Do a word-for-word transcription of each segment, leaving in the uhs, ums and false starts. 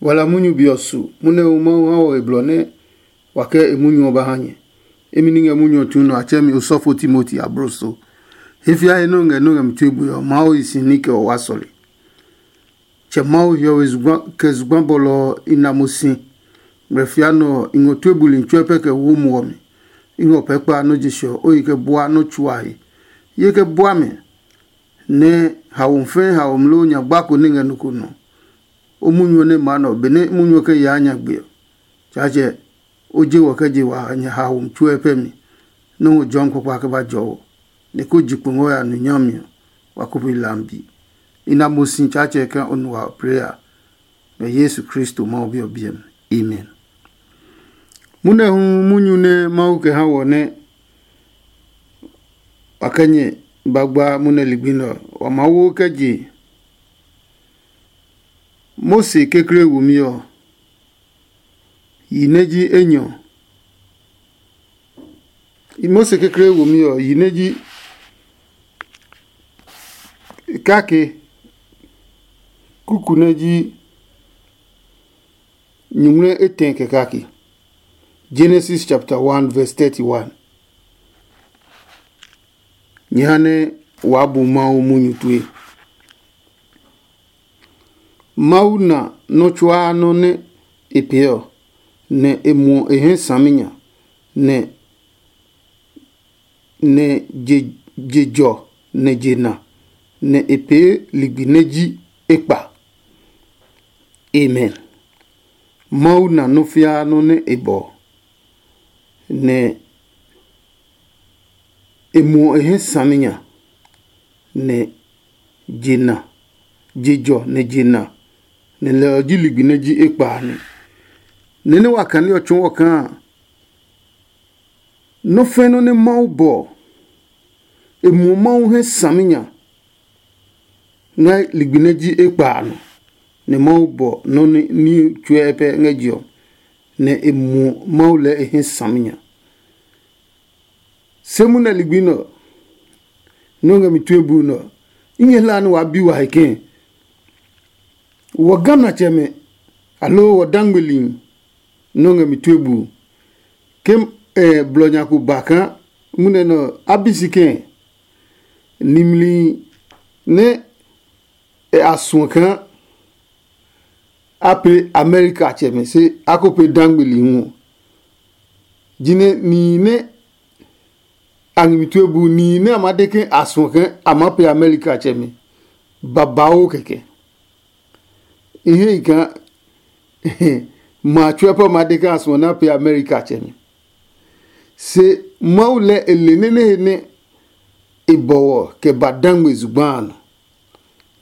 Wala munyu be ɔ su munɛ hu Mawu ha wɔ he blɔ nɛ wa kɛ e munyu ɔ ba ha nyɛ. Imi ni ngɛ munyu ɔ tsu nɔ a tsɛ mi osɔfo Timoti abloso. He fiae nɛ o ngɛ nɛ o ngɛ mi tue bue ɔ, Mawu hi si ní kɛ o wa sɔle. Tsɛ Mawu hiɔwe zugba kɛ zugba bɔlɔ ɔ i na mo si. Ngmlɛ fia nɔ ɔ, i ngɔ tue buli tsuɛ pɛ kɛ wo muɔ mi. I ngɔ pɛ kpa nɔ́ je ɔ, o yi kɛ bua nɔ́ tsuae. Ye kɛ bua mi, nɛ haomi fɛɛ haomi loo nyagba ko nɛ ngɛ nɔ ko nɔ. O munyu ɔ nɛ maa nɛ ɔ, benɛ munyu ɔ kɛ yaa nyagbe ɔ, Tsaatsɛ, o je wɔ kɛ je wa haomi tsuɛ pɛ mi, nɛ o jɔmi kpakpa kɛ ba jɔ wɔ, nɛ ko ji kpo ngɔ ya nu nyami ɔ, wa ko pe lambi. I na mo si Tsaatsɛ kaa o nu wa plee a, ngɛ Yesu Kristo Mawu Bi ɔ biɛ mi. Amen. Munɛ hu munyu nɛ Mawu kɛ ha wɔ nɛ wa kɛ nyɛ ba gba munɛ ligbi nɛ ɔ, wa maa wo kɛ je Mose kekle womi ɔ, yi nɛ ji enyɔ. Mose kekle womi ɔ, yi nɛ ji kake, kuku nɛ ji nyuŋmlɛ etɛ kɛ kake. Genesis chapter one verse thirty-one. Nyɛ ha nɛ waa bu Mawu munyu tue. Mawu na nɔ́ tsuaa nɔ́ nɛ e pee ɔ, nɛ e muɔ e hɛ saminya, nɛ nɛ je je jɔ nɛ je na, nɛ e pee ligbi nɛ ji ekpa. Amen. Mawu na nɔ́ fiaa nɔ́ nɛ e bɔ, nɛ e muɔ e hɛ saminya, nɛ je na, je jɔ nɛ je na, nɛ lɛ ɔ ji ligbi nɛ ji ekpa a nɛ. Nɛ nɛ wa kane ɔ tsɔɔ ɔ kaa nɔ́ fɛ̃ nɔ́ nɛ Mawu bɔ ɔ, e muɔ Mawu hɛ saminya ngɛ ligbi nɛ ji ekpa a nɔ, nɛ Mawu bɔ nɔ́ nɛ ní tsuɛ pɛ ngɛ je ɔ, nɛ e muɔ Mawu lɛɛ e hɛ saminya. Se munɛ ligbi nɛ ɔ, nɛ o ngɛ mi tue buu nɛ ɔ, i ngɛ hlaa nɛ waa bi wa he kɛɛ, wɔ Ghanatsɛmɛ, aloo wɔ dangmeli nɛ o ngɛ mi tue buu? Ke eh, blɔ nya ko ba kaa munɛ nɛ ɔ, a bi si kɛɛ? Nimli nɛ e a suɔ kaa a pe Amerika tsɛmɛ, se a ko pe dangmeli hu ɔ. Jinɛ nihi nɛ a ngmi tue bu, nihi nɛ a ma de ke a suɔ ke a maa pe Amerika tsɛmɛ, babauu kɛkɛ. I hei kaa ma tsuɛ pɛ ma de ke a suɔ nɛ a pe Amerika tsɛmɛ. Se Mawu lɛ e le nɛ nɛ he nɛ e bɔ wɔ kɛ ba dangme zugba a nɔ.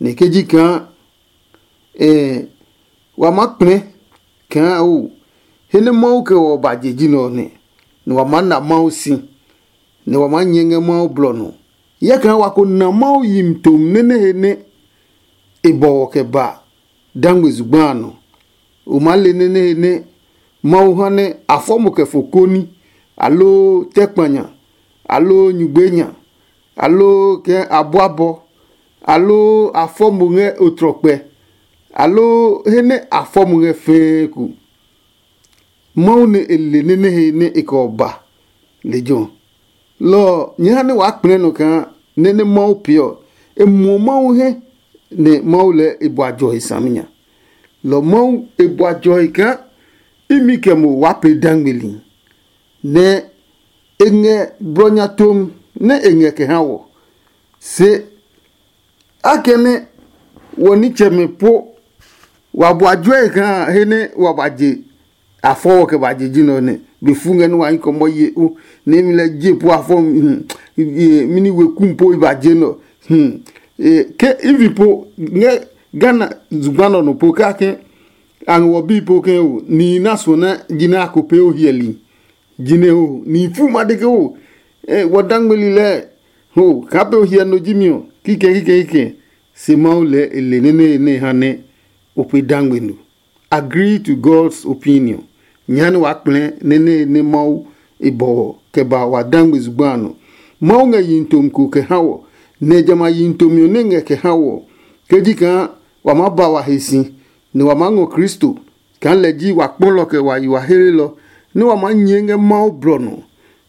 Nɛ ke ji kaa eh, wa maa kplɛ kaa o, he nɛ Mawu kɛ wɔ ba je ji nɛ ɔ nɛ, nɛ wa maa na Mawu si, nɛ wa maa nyɛ ngɛ Mawu blɔ nɔ. Hyɛ kaa wa ko na Mawu yimi tom nɛ nɛ he nɛ e bɔ wɔ kɛ ba dangme zugba a nɔ. O maa le nɛ nɛ he nɛ Mawu ha nɛ a fɔ mo kɛ fo koni, aloo tɛ kpanya, aloo nyugbe nya, aloo kɛ a bua bɔ, aloo a fɔ mo ngɛ otrɔkpɛ, aloo he nɛ a fɔ mo ngɛ fɛɛ ko. Mawu nɛ e le nɛ nɛ he nɛ e kɛ ɔ ba lejɛ ɔ. Lɔ ɔ, nyɛɛ ha nɛ waa kplɛɛ nɔ kaa nɛ nɛ Mawu pee ɔ, e muɔ Mawu hɛ, nɛ Mawu lɛɛ e bua jɔ he saminya. Lɔ Mawu e bua jɔ he kaa imi kɛ mo waa pee dangmeli, nɛ e ngɛ blɔ nya tom nɛ e ngɛ kɛ ha wɔ. Se akɛnɛ wɔ nitsɛmɛ po wa bua juɛ kaa he nɛ wa ba je a fɔ wɔ kɛ ba je ji nɛ ɔ nɛ, be fu ngɛ nɛ wa nyɛ kɔmɔ ye o, nɛ mi lɛ je po a fɔ. Mini we kum po i ba je nɔ. Ke ivi po ngɛ Ghana zugba nɔ nɔ po kake a ngɛ wɔ bi po ke o ni na suɔ na ji nɛ a ko pee o hiɛli. Jinɛ ho ni fu ma de ke ho wɔ dangmeli lɛ ho kaa pe o hiɛ no ji mi ɔ kikɛ kikɛ kikɛ. Se Mawu lɛ e le nɛ nɛ nɛ ha nɛ o pe dangme no. Agree to God's opinion. Nyɛ ha nɛ waa kplɛ nɛ nɛ nɛ Mawu e bɔ wɔ kɛ ba wa dangme zugba a nɔ. Mawu ngɛ yihi tomi ko kɛ ha wɔ, nɛ jamɛ a yihi tomi ɔ nɛ ngɛ kɛ ha wɔ, kɛ ji kaa wa maa ba wa he si, nɛ wa maa ngɔ Kristo, kaa lɛ ji wa kpɔlɔ kɛ wa yi wa hlelɔ, nɛ wa maa nyɛɛ ngɛ Mawu blɔ nɔ.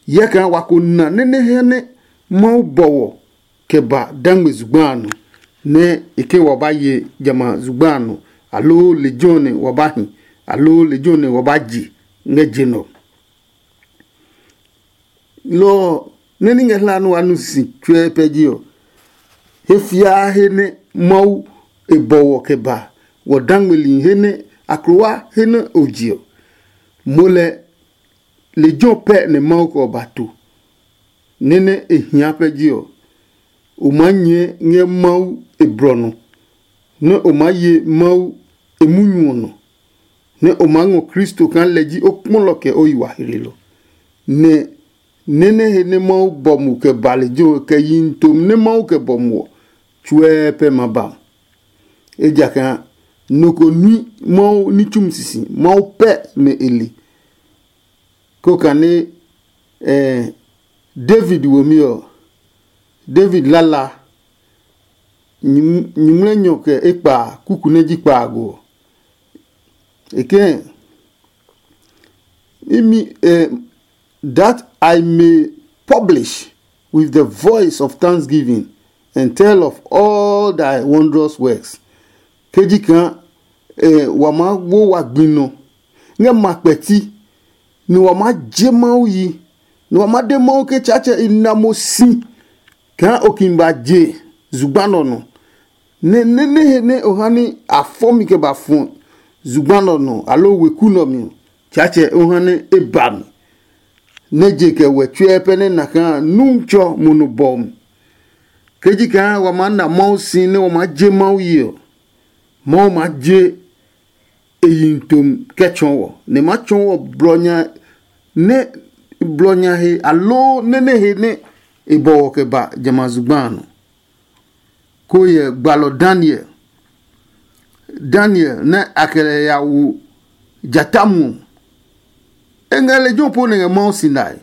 Hyɛ kaa wa ko na nɛ nɛ hɛ nɛ Mawu bɔ wɔ kɛ ba dangme zugba a nɔ, nɛ e ke wa ba ye jamɛ a zugba a nɔ, aloo lejɛ ɔ nɛ wa ba hi, aloo lejɛ ɔ nɛ wa ba je ngɛ je nɛ ɔ. Lɔ ɔ, nɛ ní ngɛ hla nɛ wa nu si tsuɛ pɛ ji ɔ, he fiaa he nɛ Mawu e bɔ wɔ kɛ ba wɔ dangmeli he nɛ aklowa he nɛ o je ɔ, mo lɛ lejɛ ɔ pɛ nɛ Mawu kɛ ɔ ba to, nɛ nɛ e hia pɛ ji ɔ, o maa nyɛɛ ngɛ Mawu e blɔ nɔ, nɛ o maa ye Mawu e munyu ɔ nɔ, nɛ o maa ngɔ Kristo kaa lɛ ji o kpɔlɔ kɛ o yi wa hlelɔ. Nɛ nɛ nɛ he nɛ Mawu bɔ mo kɛ ba lejɛ ɔ kɛ yihi tom nɛ Mawu kɛ bɔ mo ɔ, tsuɛ pɛ ma ba mo. Ejakaa nɔ ko nui Mawu ní tsumi sisi, Mawu pɛ nɛ e le. Ko kane eh, David womi ɔ, David lala nyuŋmlɛnyɔ kɛ ekpa kuku nɛ ji kpaago ɔ. E kɛ̃ imi eh, that I may publish with the voice of thanksgiving and tell of all thy wondrous works. Ke ji kaa eh, wa maa wo wa gbi nɔ ngɛ ma kpɛti, nɛ wa maa je Mawu yi, nɛ wa maa de Mawu ke Tsaatsɛ i na mo si kaa o kin ba je zugba nɛ ɔ nɔ. Nɛ nɛ nɛ he nɛ o ha ní a fɔ mi kɛ ba fɔ zugba nɛ ɔ nɔ aloo weku nɛ ɔ mi ɔ, Tsaatsɛ o ha nɛ e ba mi, nɛ je kɛ wɛ tsuɛ pɛ nɛ na kaa Nuntsɔ mo nɔ bɔ mi. Ke ji kaa wa maa na Mawu si nɛ wa maa je Mawu yi ɔ, Mawu maa je e yi tom kɛ tsɔɔ wɔ, nɛ ma tsɔɔ wɔ blɔ nya nɛ blɔ nya he aloo nɛ nɛ he nɛ e bɔ wɔ kɛ ba jamɛ a zugba a nɔ. Ko hyɛ gbalɔ Daniel, Daniel nɛ a kɛ lɛ ya wo jata muɔ. E ngɛ lejɛ ɔ po nɛ ngɛ Mawu si nae,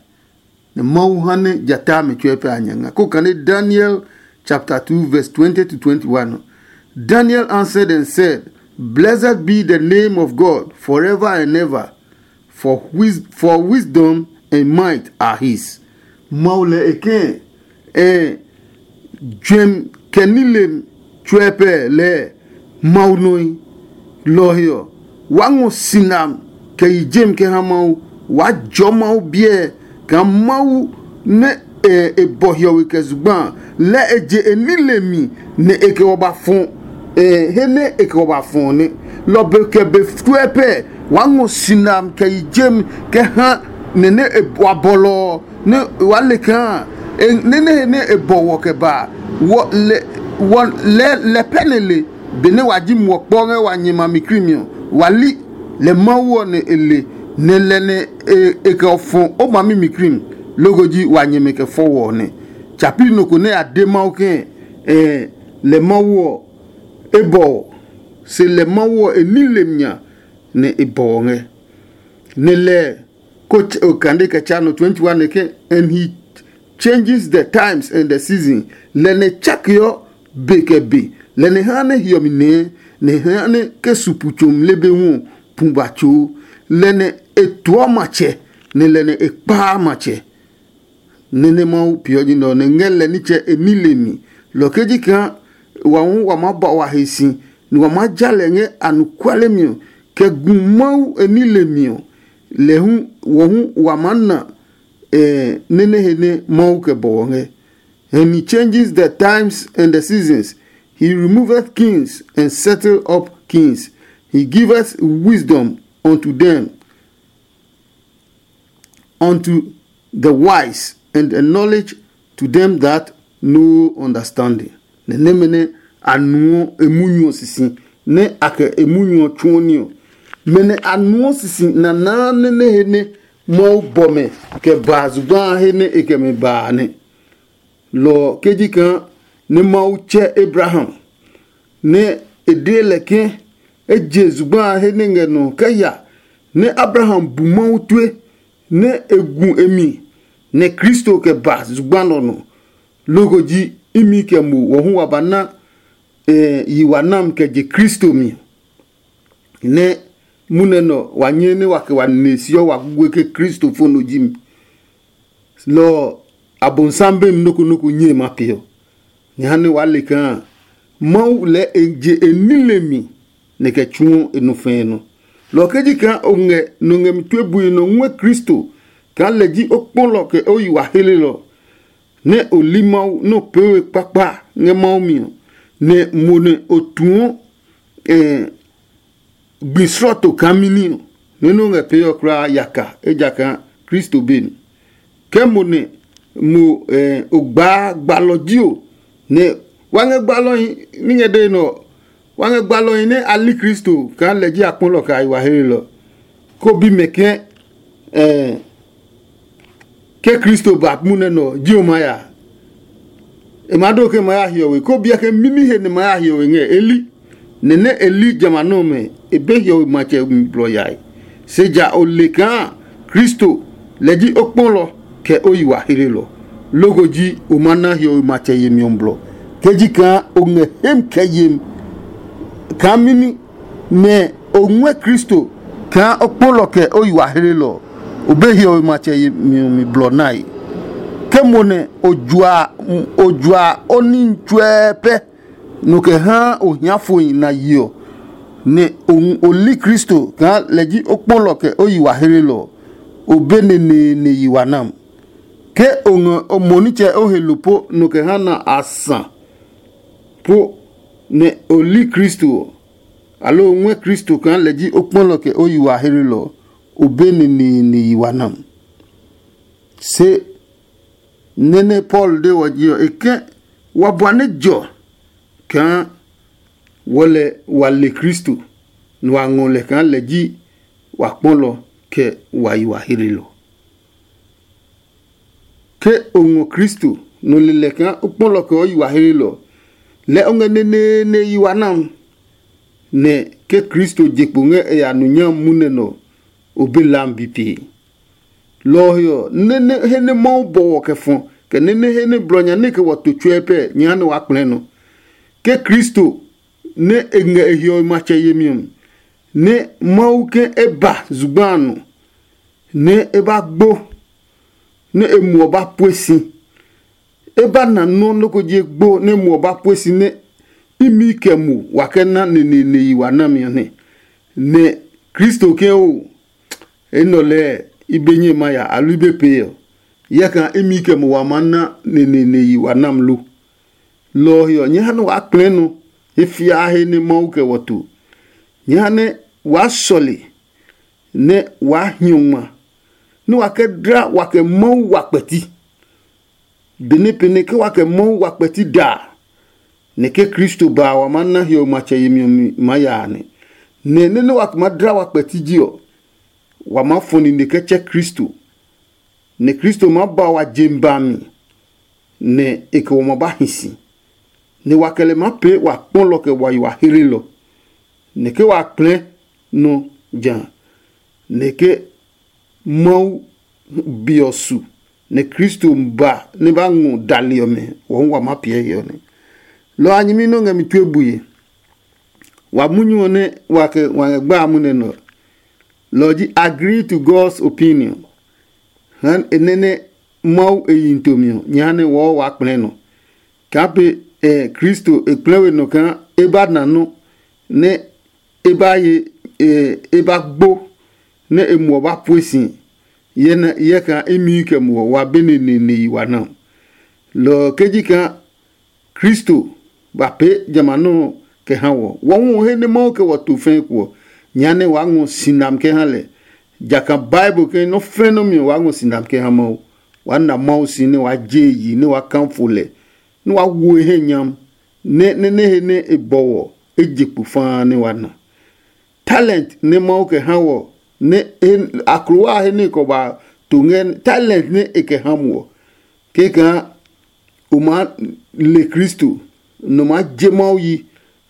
nɛ Mawu ha nɛ jata a mi tsuɛ pɛ a nya nga. Ko kane Daniel chapter two verse twenty to twenty-one ɔ. Daniel answered and said, "Blessed be the name of God forever and ever, for, wis- for wisdom and might are his." Mawu lɛ e kɛ̃ eh, juɛmi kɛ nilem tsuɛ pɛ lɛɛ Mawu nɔe. Lɔ ɔ he ɔ, waa ngɔ sinam kɛ yi jem kɛ ha Mawu. Waa jɔɔ Mawu biɛ kaa Mawu nɛ e e bɔ hiɔwe kɛ zugba a, lɛ e je e nilemi nɛ e kɛ wɔ ba fɔ e he nɛ e kɛ wɔ ba fɔ ɔ nɛ. Lɔ be kɛ be tsuɛ pɛ waa ngɔ sinam kɛ yi jem kɛ ha nɛ nɛ e wa bɔlɔ ɔ, nɛ waa le kaa e nɛ nɛ he nɛ e bɔ wɔ kɛ ba a, wɔ lɛ wɔ lɛ lɛ pɛ nɛ le. Benɛ wa ji muɔ kpɔ ngɛ wa nyɛ ma mi krimi ɔ, wa li lɛ Mawu ɔ nɛ e le, nɛ lɛ nɛ e e kɛ fɔ o ma mi mi krimi. Loko ji wa nyɛmɛ kɛ fɔ wɔ ɔ nɛ. Tsapi nɔ ko nɛ a de Mawu ke ɛ lɛ Mawu ɔ e bɔ ɔ, se lɛ Mawu ɔ e ní lemi nya nɛ e bɔ ɔ ngɛ. Nɛ lɛ ko kande kɛ tsa nɔ twenty-one nɛ ke, "And he changes the times and the season." Lɛ nɛ tsakeɔ be kɛ be, lɛ nɛ ha nɛ hiɔmi nɛɛ, nɛ ha nɛ ke su pu tso mle be hu ɔ pu ba tsoo. Lɛ nɛ e tuɔ matsɛ, nɛ lɛ nɛ e kpaa matsɛ. Nɛ́ nɛ Mawu peeɔ ji nɛ ɔ nɛ ngɛ lɛ nitsɛ e ní le mi. Lɔ ke ji kaa wa hu wa maa ba wa he si, nɛ wa maa ja lɛ ngɛ anɔkuale mi ɔ, kɛ gu Mawu e ní le mi ɔ, lɛ hu wɔ hu wa maa na nɛ nɛ he nɛ Mawu kɛ bɔ wɔ ngɛ. And he changes the times and the seasons. He removeth kings and settle up kings. He giveth wisdom unto them, unto the wise, and a knowledge to them that know understanding. Nɛ nɛmɛ nɛ a nuɔ emunyu ɔ sisi, nɛ a kɛ emunyu ɔ tsuɔ ní ɔ. Mɛ nɛ a nuɔ sisi nanaa nɛ nɛ he nɛ Mawu bɔ mɛ kɛ ba zugba a he nɛ e kɛ mɛ ba a nɛ. Lɔ ɔ ke ji kaa nɛ Mawu tsɛ Abraham, nɛ e de lɛ ke e je zugba a he nɛ ngɛ nɔ kɛ ya, nɛ Abraham bu Mawu tue, nɛ e gu e mi, nɛ Kristo kɛ ba zugba nɛ ɔ nɔ. Loko ji imi kɛ mo wɔ hu wa ba na yi wa nam kɛ je Kristo mi. Nɛ munɛ nɔ wa nyɛ nɛ wa kɛ wa ne siɔ wa gugue ke Kristo fo no ji mi. Lɔ ɔ, Abonsam be mi noko noko nyɛe ma peɔ. Nyɛ ha nɛ waa le kaa Mawu lɛɛ e je e nile mi nɛ kɛ tsuɔ e nɔ fɛɛ nɔ. Lɔ ɔ ke ji kaa o ngɛ nɔ ngɛ mi tue bui nɔ ngɔɛ Kristo kaa lɛ ji o kpɔlɔ kɛ o yi wa helelɔ, nɛ o li Mawu nɛ o pee we kpakpa ngɛ Mawu mi ɔ, nɛ mo nɛ o tuɔ eh, gbi slɔɔto kaa mini ɔ, nɛ nɛ o ngɛ pee ɔ kulaa yaka, ejakaa Kristo be mi. Ke mo nɛ mo eh, o gbaa gbalɔ ji o, nɛ wa ngɛ gbalɔhi ní ngɛ dee nɔ, wa ngɛ gbalɔhi nɛ a li Kristo kaa lɛ ji akpɔlɔ kɛ a yi wa helelɔ, ko bi mɛ ke eh, ke Kristo ba munɛ nɔ ji o ma ya. E ma do ke ma ya hiɔwe, ko biɛ ke mimi he nɛ ma ya hiɔwe ngɛ e li. Nɛ nɛ e li jamɛ a nɔmɛ, e be hiɔwe matsɛ mi blɔ yae. Se ja o le kaa Kristo lɛ ji o kpɔlɔ kɛ o yi wa helelɔ. Loko ji o ma na hiɔwe matsɛ yemi ɔ blɔ. Ke ji kaa o ngɛ hem kɛ yem kaa mimi nɛ o ngɔɛ Kristo kaa o kpɔlɔ kɛ o yi wa helelɔ, o be hiɔwe matsɛ yemi ɔ mi blɔ nae. Ke mo nɛ o jua o jua o ní tsuɛ pɛ nɔ kɛ haa o hia fohi na yi ɔ, nɛ o li Kristo kaa lɛ ji o kpɔlɔ kɛ o yi wa helelɔ ɔ, o be neneene yi wa nam. Ke o ngɔ o mo nitsɛ o he lo po nɔ kɛ ha na a sa po nɛ o li Kristo ɔ, aloo o ngɔɛ Kristo kaa lɛ ji o kpɔlɔ kɛ o yi wa helelɔ ɔ, o be neneene yi wa nam. Se nɛ nɛ Paulo de wɔ ji ɔ, e ke wa bua nɛ jɔ kaa wɔ lɛ wa le Kristo, nɛ wa ngɔ lɛ kaa lɛ ji wa kpɔlɔ kɛ wa yi wa helelɔ. Ke o ngɔ Kristo, nɔ lelɛ kaa o kpɔlɔ kɛ o yi wa helelɔ, lɛ o ngɛ neneene yi wa nam, nɛ ke Kristo je kpo ngɛ e ya nu nyami munɛ nɔ, o be lam bi pee. Lɔ ɔ he ɔ, nɛ nɛ he nɛ Mawu bɔ wɔ kɛ fɔ, kɛ nɛ nɛ he nɛ blɔ nya nɛ kɛ wɔ to tsuɛ pɛ nyɛ ha nɛ waa kplɛɛ nɔ. Ke Kristo nɛ e ngɛ e hiɔwe matsɛ yemi ɔ mi, nɛ Mawu ke e ba zugba a nɔ, nɛ e ba gbo, nɛ e muɔ ba pue si. E ba na nɔ́ nɔ́ ko ji egbo nɛ muɔ ba pue si nɛ imi kɛ mu wa kɛ na neneene yi wa nami ɔ nɛ. Nɛ Kristo ke o, enɛ ɔ lɛɛ i be nyɛ ma ya aloo i be pee ɔ, yɛkaa imi kɛ mu wa maa na neneene yi wa nam lo? Lɔ ɔ he ɔ, nyɛ ha nɛ waa kplɛɛ nɔ he fiaa he nɛ Mawu kɛ wɔ to. Nyɛ ha nɛ waa sɔle, nɛ waa hiɔ ngma, nɛ wa kɛ dla wa kɛ Mawu wa kpɛti. Benɛ pɛnɛ ke wa kɛ Mawu wa kpɛti da a, nɛ ke Kristo ba a, wa maa na hiɔwe matsɛ yemi ɔ mi maa ya a nɛ. Nɛ nɛ nɛ wa maa dla wa kpɛti ji ɔ, wa maa fɔ nine kɛ tsɛ Kristo, nɛ Kristo maa ba wa je mi ba mi, nɛ e kɛ wa ma ba hi si, nɛ wa kɛ lɛ maa pee wa kpɔlɔ kɛ wa yi wa hlelɔ, nɛ ke wa kplɛɛ nɔ ja, nɛ ke Mawu be ɔ su, nɛ Kristo ba nɛ ba ngɔ dali ɔmɛ, wɔ hu wa maa piɛ he ɔ nɛ. Lɔ ɔ a nyɛmi nɛ o ngɛ mi tue bue. Wa munyu ɔ nɛ wa kɛ wa ngɛ gba a munɛ nɛ ɔ, lɔ ɔ ji agree to God's opinion. Ha e nɛ nɛ Mawu e yi nitomi ɔ, nyɛ ha nɛ wɔɔ waa kplɛɛ nɔ. Kaa pe ɛ Kristo e kplɛɛ we nɔ kaa e ba na nɔ́ nɛ e ba ye e ba gbo, nɛ e muɔ ba pue si, yɛ kaa imi kɛ muɔ wa be neneene yi wa na. Lɔ ɔ ke ji kaa Kristo ba pee jamɛ a nɔ́ ɔ kɛ ha wɔ. Wɔ hu ɔ he nɛ Mawu kɛ wɔ to fɛɛ ko ɔ, nyɛ ha nɛ waa ngɔ si nami kɛ ha lɛ. Jakaa Bible ke nɔ́ fɛ̃ nɔ́ mi ɔ waa ngɔ si nami kɛ ha Mawu. Waa na Mawu si nɛ waa je e yi nɛ waa kafo lɛ, nɛ waa wo e he nyam, nɛ nɛ nɛ he nɛ e bɔ wɔ e je kpo faa nɛ waa na. Talent nɛ Mawu kɛ ha wɔ nɛ aklowa a he nɛ e kɔ ba to ngɛ talent nɛ e kɛ ha mo ɔ, kɛkaa o maa le Kristo, nɔ maa je Mawu yi,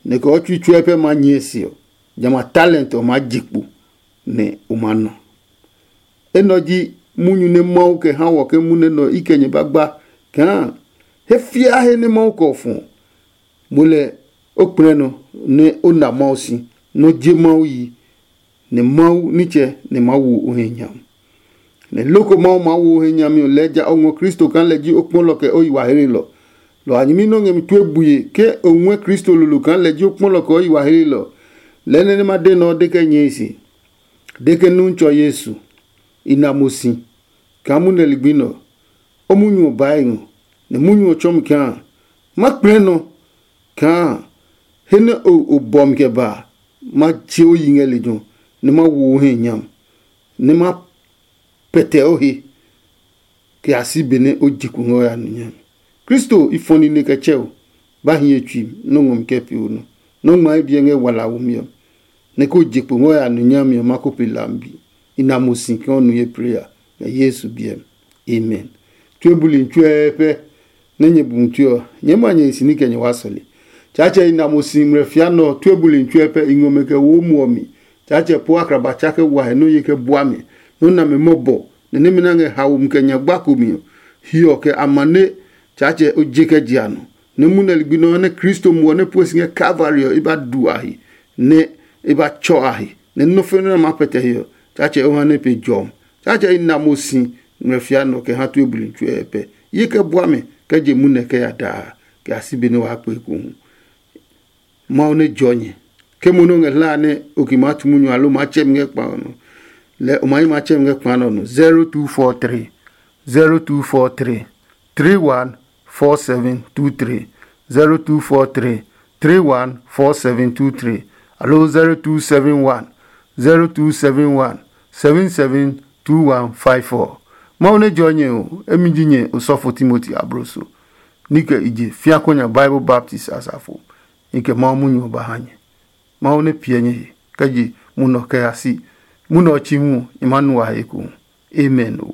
nɛ kɛ ɔ tsui tsuɛ pɛ maa nyɛɛ se ɔ, jamɛ a talent ɔ maa je kpo, nɛ o maa nɔ. Enɛ ɔ ji munyu nɛ Mawu kɛ ha wɔ ke munɛ nɛ ɔ i kɛ nyɛ ba gba kaa he fiaa he nɛ Mawu kɛ ɔ fɔ ɔ, mo lɛ o kplɛ nɔ nɛ o na Mawu si, nɛ o je Mawu yi, nɛ Mawu nitsɛ nɛ maa wo o he nyam. Nɛ loko Mawu maa wo o he nyami ɔ lɛɛ ja o ngɔ Kristo kaa lɛ ji o kpɔlɔ kɛ o yi wa hlelɔ. Lɔ a nyɛmi nɔ́ ngɛ mi tue bue ke o ngɔɛ Kristo lolo kaa lɛ ji o kpɔlɔ kɛ o yi wa hlelɔ. Lɛɛ nɛ nɛ ma de nɛ ɔ de kɛ nyɛe se, de ke Nuntsɔ Yesu, i na mo si kaa munɛ ligbi nɛ ɔ, o munyu ɔ baa e ngɔ, nɛ munyu ɔ tsɔɔ mi kaa ma kplɛ nɔ kaa he nɛ o bɔ mi kɛ ba a, ma tse o yi ngɛ lejɛ ɔ, nɛ ma wo o he nyam, nɛ ma pɛtɛ o he kɛ ya si benɛ o je kpo ngɛ o ya nu nyami. Kristo i fɔ nine kɛ tsɛ o, ba hi ye tsui nɔ́ ngɔ mi kɛ pee o nɔ. Nɔ́ ngma ye biɛ ngɛ wala womi ɔ, nɛ ko je kpo ngɛ o ya nu nyami ɔ, ma ko pe lambi. I na mo si kaa o nu ye plee a, ngɛ Yesu biɛ mi. Amen. Tue buli tsuɛ pɛ nɛ nyɛ bu tue ɔ, nyɛɛ ma nyɛ hi si ní kɛ nyɛ waa sɔle. Tsaatsɛ i na mo si ngmlɛ fia nɛ ɔ, tue buli tsuɛ pɛ i ngɔ mɛ kɛ wo muɔ mi. Tsaatsɛ po akraba tsa kɛ wa he nɔ́ ye kɛ bua mi, nɔ́ na mi mɔbɔ, nɛ nɛmɛ nɛ a ngɛ haomi kɛ nyagba ko mi ɔ, hiɔ kɛ amane. Tsaatsɛ o je kɛ je a nɔ, nɛ munɛ ligbi nɛ ɔ nɛ Kristo muɔ nɛ pue si ngɛ Kalvari ɔ, i ba du a he, nɛ i ba tsɔ a he, nɛ nɔ́ fɛnɛ nɛ a maa pɛtɛ he ɔ, Tsaatsɛ o ha nɛ pe jɔmi. Tsaatsɛ i na mo si ngmlɛ fia nɛ ɔ kɛ ha tue buli tsuɛ pɛ. Ye kɛ bua mi kɛ je munɛ kɛ ya daa, kɛ ya si be nɛ waa kpe ekohu. Mawu nɛ jɔ nyɛ. Ke mo nɛ o ngɛ hlaa nɛ o ki maa tu munyu alo maa tsɛ mi ngɛ kpa ɔ nɔ, lɛɛ o ma yi maa tsɛ mi ngɛ kpa nɛ ɔ nɔ. Zero two four three, zero two four three, three one four seven two three, zero two four three, three one four seven two three, alo zero two seven one, zero two seven one, seven seven two one five four. Mawu nɛ jɔ nyɛ o, emi ji nyɛ osɔfo Timoti abloso, ní kɛ i je fia konya Bible Baptist asafo. I kɛ Mawu munyu ɔ ba ha nyɛ. Mawu nɛ piɛ nyɛ he kɛ je munɔ kɛ ya si. Munɔ ɔ chi hu ɔ, i maa nu a he ekohu. Amen o.